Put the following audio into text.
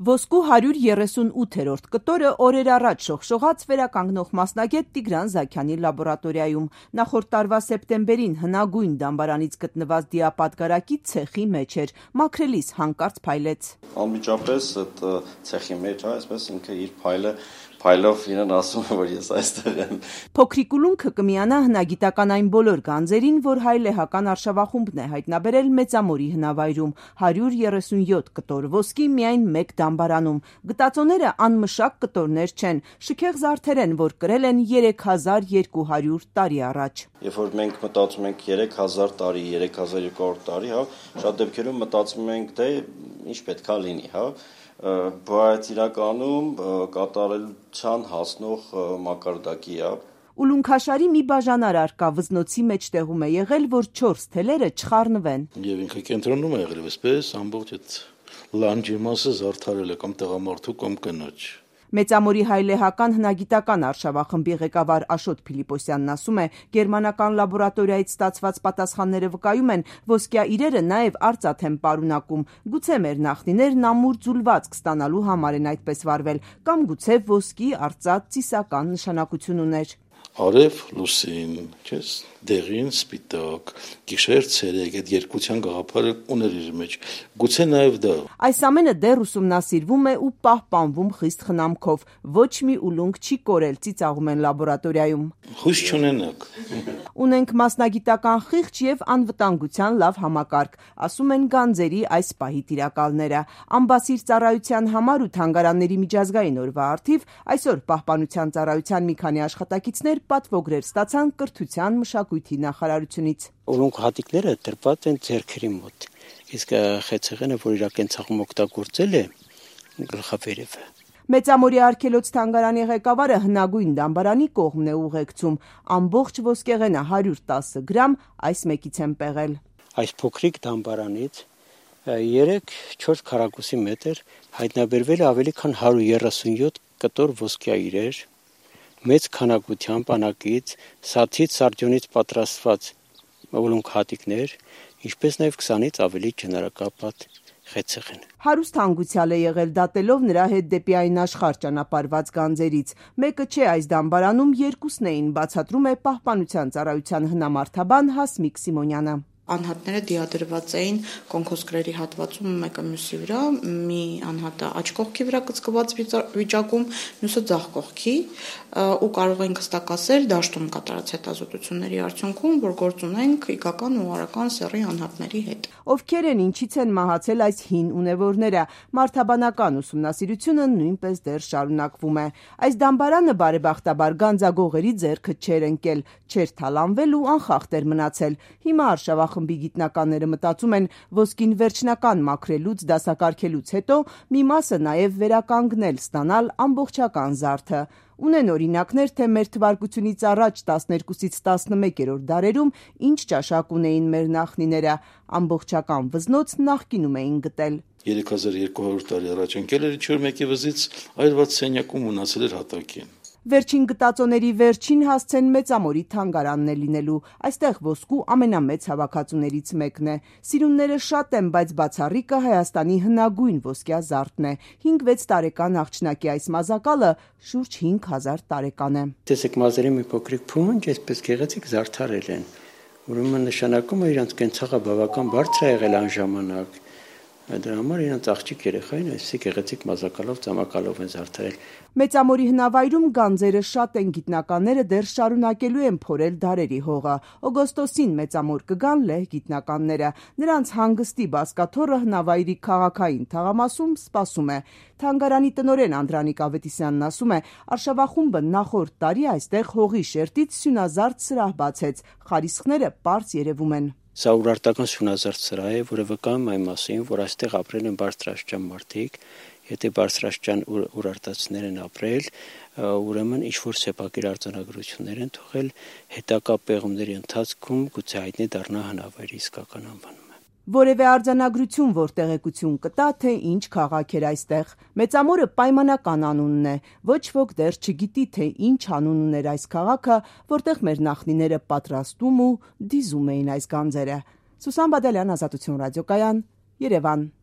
Ոսկու 138-րդ կտորը օրեր առաջ շողշողաց վերականգնող մասնագետ Տիգրան Զաքյանի լաբորատորիայում։ Նախորդ տարվա սեպտեմբերին հնագույն դամբարանից գտնված դիապատկարակի ցեխի մեջ էր, մաքրելիս հանկարծ փայլեց։ Անմիջապես այդ ցեխի մեջ, այսպես ինքը իր փայլով իրեն ասում է, որ ես այստեղ եմ։ Փոքրիկ ուլունքը կմիանա հնագիտական այն բոլոր գանձերին, որ հայ լեհական արշավախումբն է հայտնաբերել Մեծամորի հնավայրում, 137 կտոր ոսկի միայն մեկ դամբարանում։ Գտածոները անմշակ կտորներ չեն, շքեղ զարդեր են, որ կրել են 3200 տարի առաջ։ Երբ որ մենք մտածում ենք 3000 տարի, 3200 տարի, շատ դեպքերում մտածում ենք, թե ինչ պետք է լինի, բայց իրականում կատարելության հասնող մակարդակի է։ Ուլունքաշարի մի բաժանար արկա վզնոցի մեջտեղում է եղել, որ 4 թելերը չխառնվեն։ Եվ ինքը կենտրոնում է եղել, այսպես ամբողջ այդ լանջի մասը զարդարել է կամ տղամարդու կամ կնոջ։ Մեծամորի հայլեհական հնագիտական արշավախմբի ղեկավար Աշոտ Փիլիպոսյանն ասում է, գերմանական լաբորատորիայից ստացված պատասխանները վկայում են, ոսկյա իրերը նաև արծաթ են պարունակում։ Գուցե մեր նախնիներն ամուր ձուլվածք ստանալու համար են այդպես վարվել, կամ գուցե ոսկի արծաթ ծիսական նշանակություն ուներ։ Արև լուսին, չես, դեղին սպիտակ, գիշեր ցերեկ, այդ երկության գաղափարը ուներ իր մեջ։ Գուցե նաև դա։ Այս ամենը դեռ ուսումնասիրվում է ու պահպանվում խիստ խնամքով։ Ոչ մի ուլունք չի կորել, ծիծաղում են լաբորատորիայում։ Հույս չունենաք։ Ունենք մասնագիտական խիղճ եւ անվտանգության լավ համակարգ, ասում են գանձերի այս պահի տիրակալները։ Ամբասիր ծառայության համար ու թանգարանների միջազգային օրվա առթիվ այսօր Պահպանության ծառայության մի քանի աշխատակիցներ պատվոգրեր ստացան կրթության մշակույթի նախարարությունից։ Ուլունք հատիկները դրված են ձեռքերի մոտ, իսկ խեցեղենը, որ իր կենցաղում օգտագործել է, գլխավերևը։ Մեծամորի արգելոց թանգարանի ղեկավարը հնագույն դամբարանի կողմն է ուղեկցում։ Ամբողջ ոսկեղենը 110 գրամ այս մեկից են պեղել։ Այս փոքրիկ դամբարանից 3-4 քառակուսի մետր հայտնաբերվել է ավելի քան 137 կտոր ոսկյա իրեր, մեծ քանակությամբ անակից, սաթից, սարդյունից պատրաստված ուլունք հատիկներ, ինչպես նաև 20-ից ավելի ջնարակապատ խեցեղեն։ Հարուստ հանգուցյալ է եղել դատելով նրա հետ դեպի այն աշխարհ ճանապարհված գանձերից։ Մեկը չէ այս դամբարանում, երկուսն էին, բացատրում է Պահպանության ծառայության հնամարդաբան Հասմիկ Սիմոնյանը։ Անհատները դիադրված էին կոնքոսկրերի հատվածում մեկը մյուսի վրա, մի անհատը աջ կողքի վրա կծկված վիճակում, մյուսը ձախ կողքի, ու կարող ենք հստակասել դաշտում կատարած հետազոտությունների արդյունքում, որ գործ ունենք իգական ու արական սեռի անհատների հետ։ Ովքեր են, ինչից են մահացել այս հին ունևորները, մարդաբանական ուսումնասիրությունը նույնպես դեռ շարունակվում է։ Այս դամբարանը բարեբախտաբար գանձագողերի ձեռքը չէր ընկել, չէր թալանվել ու անխախտ էր մնացել։ Հիմա արշավախմբի գիտնականները մտածում են ոսկին վերջնական մաքրելուց, դասակարգելուց հետո մի մասը նաև վերականգնել, ստանալ ամբողջական զարդը։ Ունեն օրինակներ, թե մեր թվարկությունից առաջ 12-ից 11-րդ դարերում ինչ ճաշակ ունեին մեր նախնիները, ամբողջական վզնոց նախկինում էին գտել։ 3200 տարի առաջ ընկել էր ինչ-որ մեկի վզից այրված սենյակում մնացել էր հատակին։ Վերջին գտածոների վերջին հասցեն Մեծամորի թանգարանն է լինելու։ Այստեղ ոսկու ամենամեծ հավաքածուներից մեկն է։ Սիրունները շատ են, բայց բացառիկը Հայաստանի հնագույն ոսկյա զարդն է։ 5-6 տարեկան աղջնակի այս մազակալը շուրջ 5000 տարեկան է։ Տեսեք, մազերի մի փոքրիկ փունջ, այսպես գեղեցիկ զարդարել են։ Ուրեմն նշանակում է իրանց կենցաղը բավական բարձր է եղել այն ժամանակ։ Դրա համար իրանց աղջիկ երեխային այսպիսի գեղեցիկ մազակալով, ծամակալով են զարդարել։ Մեծամորի հնավայրում գանձերը շատ են, գիտնականները դեռ շարունակելու են փորել դարերի հողը։ Օգոստոսին Մեծամոր կգան լեհ գիտնականները։ Նրանց հանգստի բազկաթոռը հնավայրի քաղաքային թաղամասում սպասում է։ Թանգարանի տնօրեն Անդրանիկ Ավետիսյանն ասում է, արշավախումբը նախորդ տարի այստեղ հողի շերտից սյունազարդ սրահ բացեց։ Խարիսխները պարզ երևում են։ Սա ուրարտական սյունազարդ սրահ է, որը վկայում այն մասին, որ այստեղ ապրել են բարձրաստիճան մարդիկ, եթե բարձրաստիճան ուրարտացիներ են ապրել, ուրեմն ինչ-որ սեփակիր արձանագրություններ են թողել, հետագա պեղումների ընթացքում գուցե հայտնի դառնա հնավայրի իսկական անվանումը։ Որևէ արձանագրություն, որ տեղեկություն կտա, թե ինչ քաղաք էր այստեղ։ Մեծամորը պայմանական անունն է։ Ոչ ոք դեռ չգիտի, թե ինչ անուն ուներ այս քաղաքը, որտեղ մեր նախնիները պատրաստում ու դիզում էին այս գանձերը։ Սուսան Բադալյան, Ազատություն ռադիոկայան, Երևան։